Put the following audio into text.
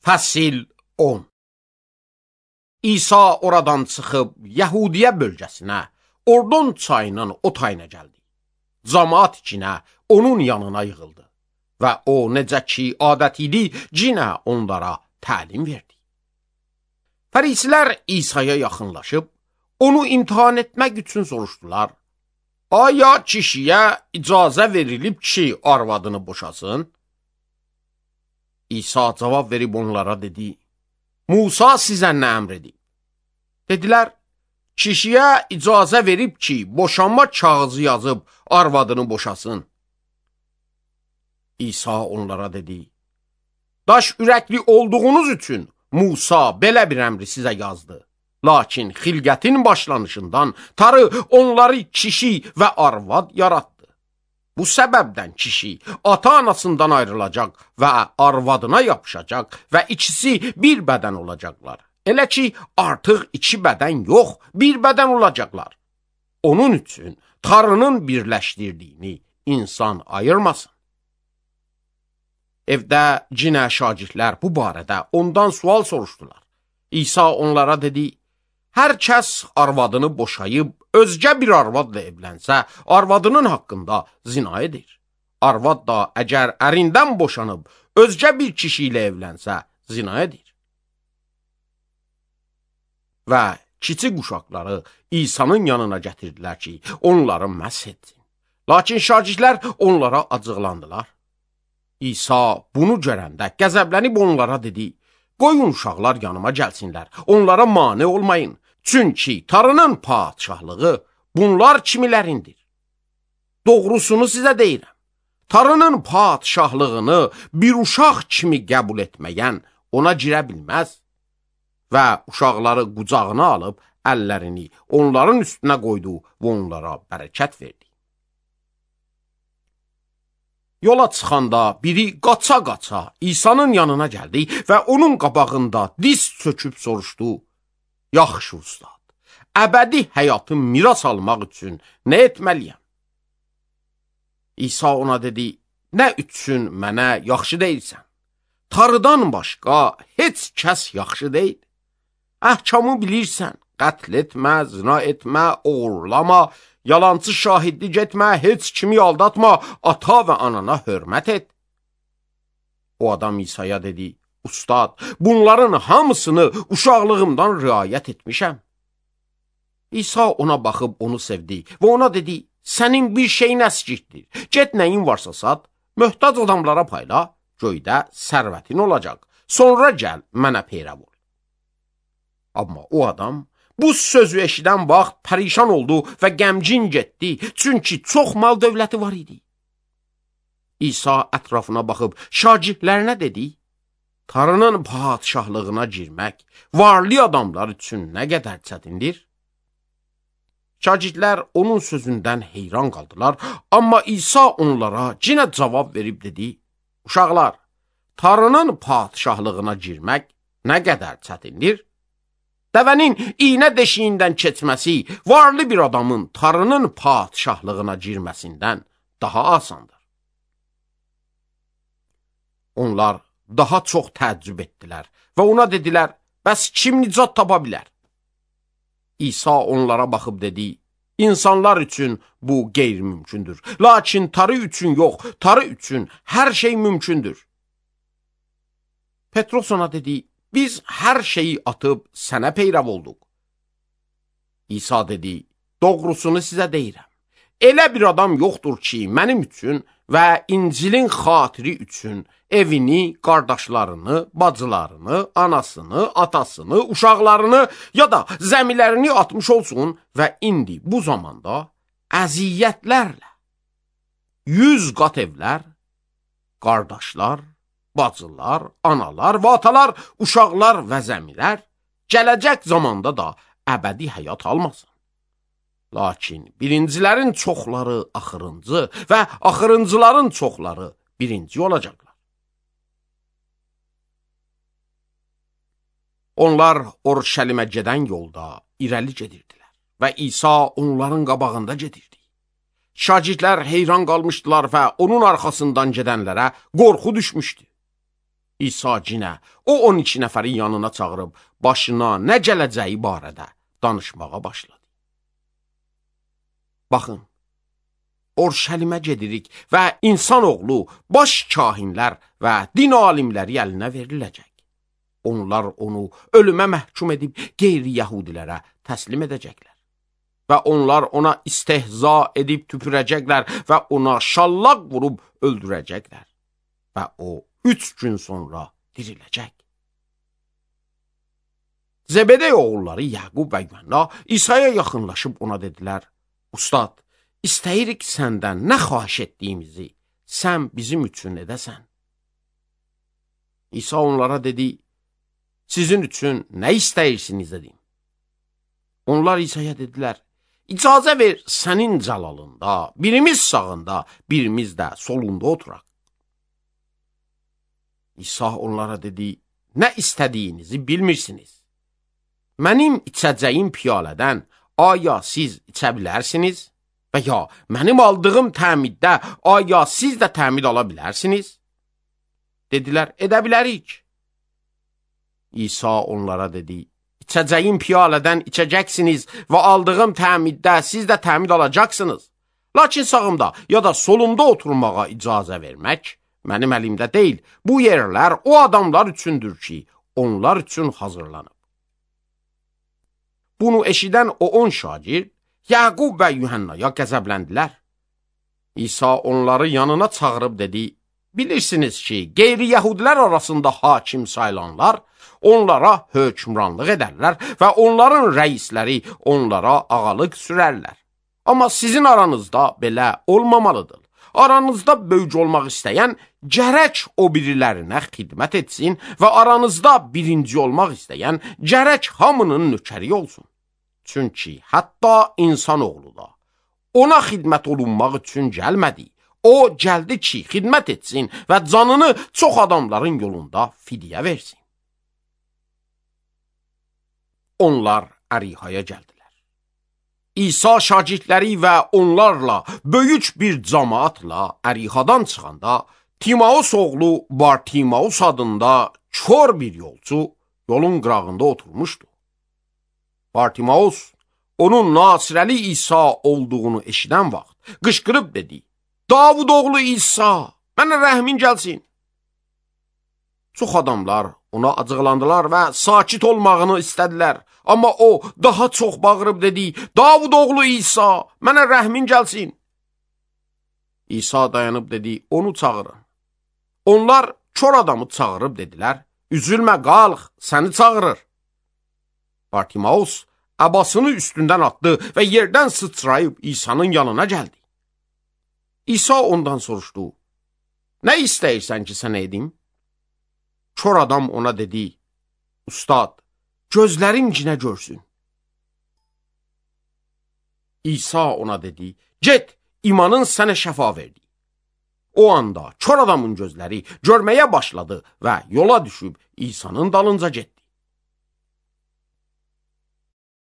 Fəsil 10. İsa oradan çıxıb Yəhudiyə bölgəsinə, Ordon çayının o tayına gəldi. Camaat içinə onun yanına yığıldı və o necə ki adət idi, cinə onlara təlim verdi. Fərisilər İsa'ya yaxınlaşıb, onu imtihan etmək üçün soruşdular. Aya kişiyə icazə verilib ki, arvadını boşasın? İsa cavab verib onlara dedi, Musa sizə nə əmr edib? Dedilər, kişiyə icazə verib ki, boşanma kağızı yazıb arvadını boşasın. İsa onlara dedi, daş ürəkli olduğunuz üçün Musa belə bir əmri sizə yazdı. Lakin xilqətin başlanışından Tanrı onları kişi və arvad yaratdı. Bu səbəbdən kişi ata-anasından ayrılacaq və arvadına yapışacaq və ikisi bir bədən olacaqlar. Elə ki, artıq iki bədən yox, bir bədən olacaqlar. Onun üçün Tanrının birləşdirdiyini insan ayırmasın. Evdə cinə şagirdlər bu barədə ondan sual soruşdular. İsa onlara dedi, hər kəs arvadını boşayıb, özgə bir arvadla evlənsə, arvadının haqqında zina edir. Arvad da əgər ərindən boşanıb, özgə bir kişi ilə evlənsə, zina edir. Və kiçik uşaqları İsa'nın yanına gətirdilər ki, onları məsh etsin. Lakin şagirdlər onlara acıqlandılar. İsa bunu görəndə qəzəblənib onlara dedi, qoyun uşaqlar yanıma gəlsinlər, onlara mane olmayın. Çünki Tanrının padşahlığı bunlar kimilərindir. Doğrusunu sizə deyirəm, Tanrının padşahlığını bir uşaq kimi qəbul etməyən ona girə bilməz. Və uşaqları qucağına alıb əllərini onların üstünə qoydu və onlara bərəkət verdi. Yola çıxanda biri qaça-qaça İsa'nın yanına gəldi və onun qabağında diz çöküb soruşdu, yaxşı ustad, əbədi həyatı miras almaq üçün nə etməliyəm? İsa ona dedi, nə üçün mənə yaxşı deyilsən? Tanrıdan başqa heç kəs yaxşı deyil. Əhkamı bilirsən, qətl etmə, zina etmə, oğurlama, yalancı şahidlik etmə, heç kimi aldatma, ata və anana hörmət et. O adam İsa'ya dedi, ustad, bunların hamısını uşaqlığımdan riayət etmişəm. İsa ona baxıb onu sevdi və ona dedi, sənin bir şeyin əskikdir, get nəyin varsa sat, möhtac adamlara payla, göydə sərvətin olacaq, sonra gəl mənə peyrəv ol. Amma o adam bu sözü eşidən vaxt pərişan oldu və qəmgin getdi, çünki çox mal dövləti var idi. İsa ətrafına baxıb şagirdlərinə dedi, Tanrının padşahlığına girmək varlı adamlar üçün nə qədər çətindir? Şagirdlər onun sözündən heyran qaldılar, amma İsa onlara yenə cavab verib dedi, uşaqlar, Tanrının padşahlığına girmək nə qədər çətindir? Dəvənin iynə deşiyindən keçməsi varlı bir adamın Tanrının padşahlığına girməsindən daha asandır. Onlar daha çox təəccüb etdilər və ona dedilər, bəs kim nicat tapa bilər? İsa onlara baxıb dedi, insanlar üçün bu qeyri-mümkündür, lakin Tanrı üçün yox, Tanrı üçün hər şey mümkündür. Petros ona dedi, biz hər şeyi atıb sənə peyrəv olduq. İsa dedi, doğrusunu sizə deyirəm. Elə bir adam yoxdur ki, mənim üçün və İncilin xatiri üçün evini, qardaşlarını, bacılarını, anasını, atasını, uşaqlarını ya da zəmilərini atmış olsun və indi bu zamanda əziyyətlərlə 100 qat evlər, qardaşlar, bacılar, analar və atalar, uşaqlar və zəmilər gələcək zamanda da əbədi həyat almasın. Lakin birincilərin çoxları axırıncı və axırıncıların çoxları birinci olacaqlar. Onlar Orşəlimə gedən yolda irəli gedirdilər və İsa onların qabağında gedirdi. Şagirdlər heyran qalmışdılar və onun arxasından gedənlərə qorxu düşmüşdü. İsa cinə o 12 nəfərin yanına çağırıb başına nə gələcəyi barədə danışmağa başladı. Baxın, Orşəlimə gedirik və insanoğlu baş kahinlər və din alimləri əlinə veriləcək. Onlar onu ölümə məhkum edib qeyri-yəhudilərə təslim edəcəklər. Və onlar ona istehza edib tüpürəcəklər və ona şallaq vurub öldürəcəklər. Və o 3 gün sonra diriləcək. Zebedey oğulları Yaqub və Yuhanna İsa'ya yaxınlaşıb ona dedilər: Ustad, İstəyirik səndən nə xahiş etdiyimizi sən bizim üçün edəsən. İsa onlara dedi: Sizin üçün nə istəyirsiniz dedim. Onlar İsa'ya dedilər: İcazə ver sənin cəlalında, birimiz sağında, birimiz də solunda oturaq. İsa onlara dedi: Nə istədiyinizi bilmirsiniz. Mənim içəcəyim piyalədən aya siz içə bilərsiniz? Və ya mənim aldığım təmiddə aya siz də təmid ala bilərsiniz? Dedilər: Edə bilərik. İsa onlara dedi: İçəcəyim piyalədən içəcəksiniz və aldığım təmiddə siz də təmid alacaqsınız. Lakin sağımda ya da solumda oturmağa icazə vermək mənim əlimdə deyil. Bu yerlər o adamlar üçündür ki, onlar üçün hazırlanıb. Bunu eşidən o 10 şagird Yaqub və Yuhannaya qəzəbləndilər. İsa onları yanına çağırıb dedi: Bilirsiniz ki, qeyri-yəhudilər arasında hakim sayılanlar onlara hökmranlıq edərlər və onların rəisləri onlara ağalıq sürərlər. Amma sizin aranızda belə olmamalıdır. Aranızda böyük olmaq istəyən gərək o birilərinə xidmət etsin və aranızda birinci olmaq istəyən gərək hamının nökəri olsun. Çünki hətta insanoğlu da ona xidmət olunmaq üçün gəlmədi. O gəldi ki, xidmət etsin və canını çox adamların yolunda fidyə versin. Onlar Ərihaya gəldilər. İsa şagirdləri və onlarla böyük bir cəmaatla Ərihadan çıxanda Timaus oğlu Bartimaus adında kör bir yolçu yolun qırağında oturmuşdu. Bartimaus onun Nasirəli İsa olduğunu eşidən vaxt qışqırıb dedi: Davud oğlu İsa, mənə rəhmin gəlsin. Çox adamlar ona acıqlandılar və sakit olmağını istədilər. Amma o daha çox bağırıb dedi: Davud oğlu İsa, mənə rəhmin gəlsin. İsa dayanıb dedi: Onu çağırın. Onlar kör adamı çağırıb dedilər: Üzülmə, qalx, səni çağırır. Bartimaus əbasını üstündən atdı və yerdən sıçrayıb İsa'nın yanına gəldi. İsa ondan soruşdu: Nə istəyirsən ki, sənə edim? Kör adam ona dedi: Ustad, gözlərim cinə görsün. İsa ona dedi: Get, imanın sənə şəfa verdi. O anda kör adamın gözləri görməyə başladı və yola düşüb İsa'nın dalınca getdi.